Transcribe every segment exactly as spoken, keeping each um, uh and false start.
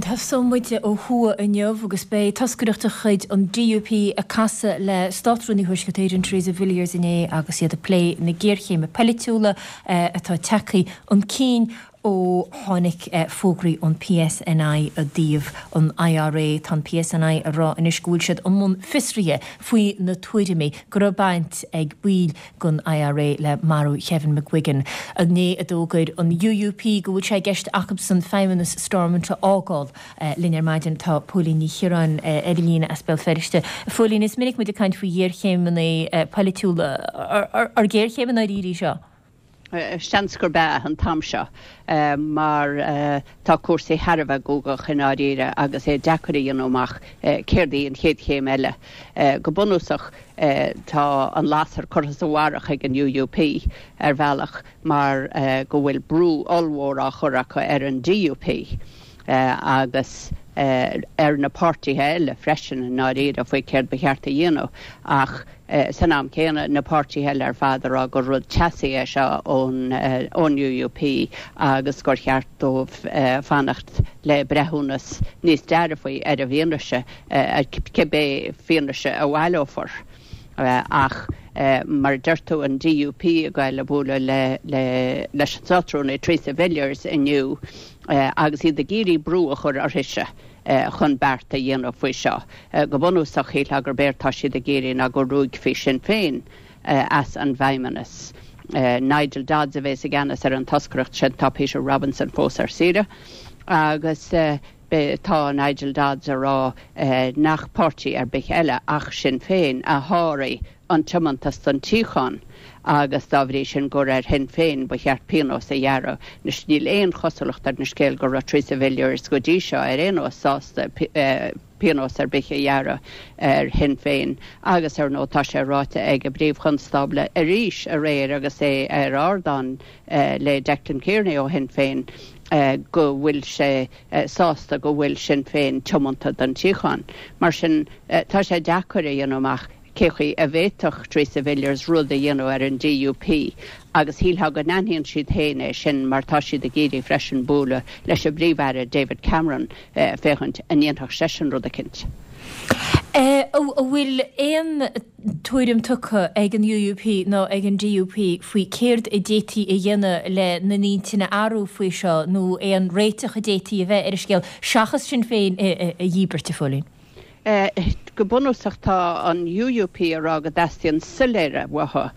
Tosóidh muid ó thuaidh inniu agus beidh toscaireacht de chuid an D U P ag casadh le Státrúnaí Thuaisceart Éireann Theresa Villiers inné agus iad ag plé na géarchéime polaitiúla atá tagtha chun cinn ó tháinig fógraí ón P S N I i dtaobh an I R A. Tá an P S N I ag rá anois go bhfuil siad i mbun fiosraithe faoi na tuairimí go raibh baint ag baill den I R A le marú Kevin McGuigan. Inné a d'fhógair an U U P go bhfuil sé i gceist acusan feidhmeannas Stormont a fhágáil. Linn ar maidin tá Póilín Ní Chiaráin ar an líne as Béal Feirste. Phóilín, is minic muid ag caint faoi ghéarchéimeanna polaitiúla, ar géarchéim i ndáiríre í seo? Seans gurb ea an t-am seo, mar tá cúrsaí thar a bheith guagach i ndáiríre agus é deacair a dhéanamh amach céard í an chéad chéim eile. Go bunúsach, tá an lasair curtha sa bharrach ag an U U P ar bhealach, mar go bhfuil brú ollmhór á chur acu ar an D U P agus ar na páirtithe eile freisin i ndáiríre faoi céard ba cheart a dhéanamh, ach san am céanna na páirtithe eile ar fad ag rá gur rud teasaí é seo ón ón U U P agus gur cheart dóibh fanacht le breithiúnas níos dearfaí ar an bhfianaise, cibé fianaise a bhaileofar. Ach mar deir tú, an D U P ag goil a bualadh le le leis an Státrúnaí Theresa Villiers inniu agus iad ag iarraidh brú a chur uirthise chun beart a dhéanamh faoi seo. Go bunúsach, shílfeá gurb éard tá siad ag iarraidh ná go ruaigfí Sinn Féin as an bhfeidhmeannas. Nigel Dodds a bheas i gceannas ar an toscaireacht sin. Tá Peter Robinson fós ar saoire agus tá Nigel Dodds ag rá nach páirtí ar bith eile ach Sinn Féin a sháraigh an tiomantas don tsíocháin agus dá bhrí sin gur ar Shinn Féin ba cheart pionós a ghearradh. Anois, níl aon chosúlacht ar an scéal go raibh Theresa Villiers go dtí seo ar aon nós sásta pionós ar bith a ghearradh ar Shinn Féin, agus ar ndóigh tá sé ráite ag an bPríomh-Chonstábla arís aréir agus é ar ardán le Declan Kearney ó Shinn Féin go bhfuil sé sásta go bhfuil Sinn Féin tiomanta don tsíocháin. Mar sin, tá sé deacair a dhéanamh amach cé chaoi a bhféadfadh Theresa Villiers rud a dhéanamh ar an D U P, agus shílfeá go n-aithníonn siad féin é sin, mar tá siad ag iarraidh freisin bualadh leis an bPríomh-Aire David Cameron féachaint an ndéanfadh seisean rud eicínt. An bhfuil aon tuairim tugtha ag an U U P nó ag an D U P faoi céard a d'fhéadfaí a dhéanamh le na n-intinn a athrú faoi seo nó aon réiteach a d'fhéadfaí a bheith ar an scéal seachas Sinn Féin a dhíbirt, a Phóilín? Go bunúsach, tá an U U P ag rá go dteastaíonn soiléire uathu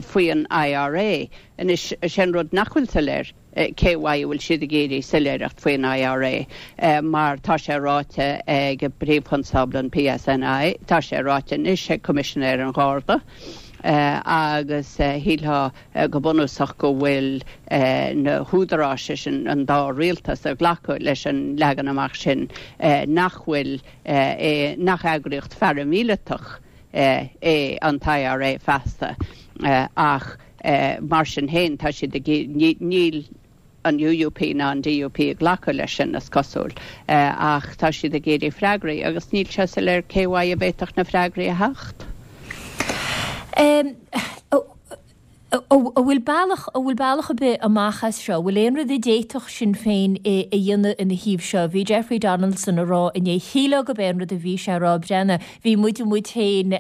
faoi an I R A. Anois, sin rud nach bhfuil soiléir cé uaidh a bhfuil siad ag iarraidh soiléireacht faoin I R A, mar tá sé ráite ag Príomh-Chonstábla an P S N I, tá sé ráite anois ag Coimisinéir an Gharda, agus shílfeá go bunúsach go bhfuil na húdaráis sin, an dá rialtas, ag glacadh leis an leagan amach sin nach bhfuil é nach eagraíocht pharaimíleatach é an I R A feasta. Ach mar sin féin, tá siad níl an U U P ná an D U P ag glacadh leis sin, is cosúil, ach tá siad ag iarraidh freagraí agus níl sé soiléir cé uaidh a bhféadfadh na freagraí a theacht. An bhfuil bealach an bhfuil bealach ar bith amach as seo? Bhfuil aon rud a d'fhéadfadh Sinn Féin a dhéanamh ina thaobh seo? Bhí Jeffrey Donaldson ag rá inné, shílfeá gurb é an rud a bhí sé ag rá, breathnaigh, bhí muid muid féin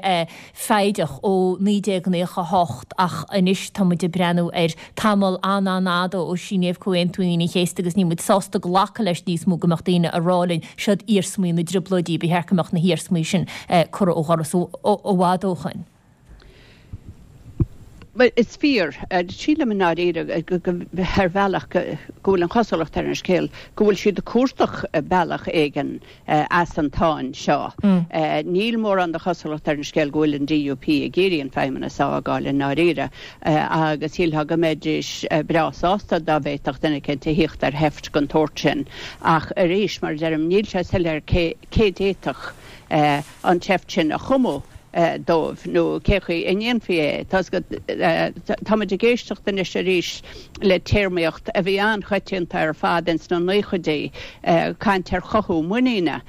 foighdeach ó naoi déag nócha a hocht ach anois tá muid ag breathnú ar tamall an-an-fhada ó síníodh Comhaontú Aoine an Chéasta agus níl muid sásta glacadh leis níos mó go mbeadh daoine ag rá linn siod iarsmaí na dtrioblóidí, ba cheart go mbeadh na hiarsmaí sin curtha ó dhoras i bhfad ó shin. Is fíor, sílim i ndáiríre ar bhealach go bhfuil an chosúlacht ar an scéal go bhfuil siad ag cuardach bealach éigin as an tsáinn seo. Níl mórán de chosúlacht ar an scéal go bhfuil an D U P ag iarraidh an feidhmeannas a fhágáil i ndáiríre, agus shílfeá go mbeidís breá sásta dá bhféadfadh duine eicínt a thíocht ar sheift den tsórt sin. Ach arís, mar a deirim, níl sé soiléir cé cé d'fhéadfadh an tseift sin a chumadh. dóibh nó cé chaoi a ndéanfaí é. Táimid ag éisteacht anois arís le téarmaíocht a bhí an-choitianta ar fad ins na naochaidí, caint ar chothú muiníne.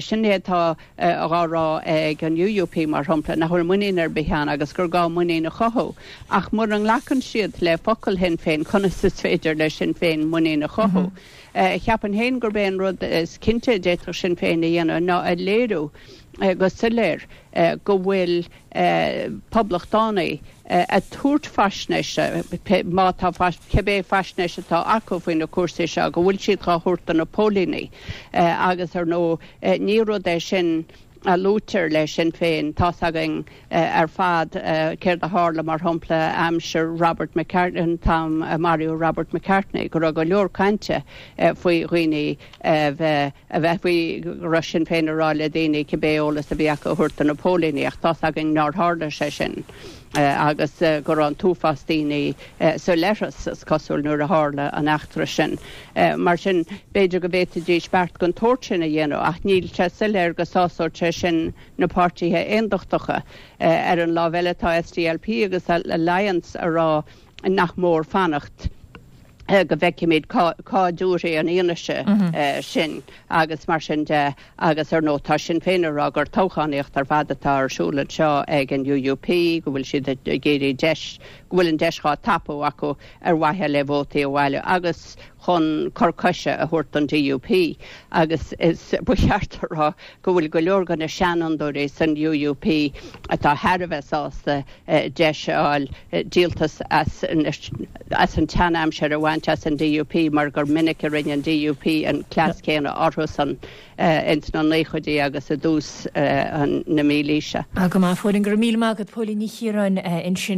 Sin é atá á rá ag an U U P mar shampla, nach bhfuil muinín ar bith ann agus gur gá muinín a chothú. Ach mura nglacann siad le focal Shinn Féin, conas is féidir le Sinn Féin muinín a chothú? Cheapfainn féin gurb é an rud is cinnte a d'fhéadfadh Sinn Féin a dhéanamh ná a léiriú go soiléir go bhfuil poblachtánaigh ag tabhairt faisnéise, má tá cibé faisnéis atá acu faoi na cúrsaí seo, go bhfuil siad á thabhairt do na póilíní. Agus ar ndóigh ní rud é sin a luaitear le Sinn Féin. Tá's againn ar fad céard a tharla mar shampla aimsir Robert McCartney, an t-am a maraíodh Robert McCartney, go raibh go leor cainte faoi dhaoine a bheith a bheith faoi go raibh Sinn Féin ag rá le daoine cibé eolas a bhí acu a thabhairt do na póilíní, ach tá's againn nár tharla sé sin agus go raibh an t-uafás daoine sa leithreas is cosúil nuair a tharla an eachtra sin. Mar sin b'fhéidir go bhféadfaidís beart den tsórt sin a dhéanamh ach níl sé soiléir go sásódh sé sin na páirtithe aondachtacha. Ar an lámh eile tá S D L P agus Alliance ag rá nach mór fanacht go bhfeicfimid cá dtabharfaidh an fhianaise sin agus mar sin de agus ar ndóigh tá Sinn Féin ag rá gur toghchánaíocht ar fad atá ar siúl anseo ag an U U P, go bhfuil siad ag iarraidh deis go bhfuil an deis á tapú acu ar mhaithe le vótaí a bhailiú agus chun cor coise a thabhairt don D U P agus is ba cheart a rá go bhfuil go leor de na seanfhondúirí san U U P atá thar a bheith sásta deis a fháil díoltas as as an tseanaimsir a bhaint as an D U P mar gur minic a rinne an D U P an cleas céanna orthusan ins na naochaidí agus i dtús na mílaoise. Go maith Póilín, go raibh míle maith agat, Póilín Ní Chiaráin ansin.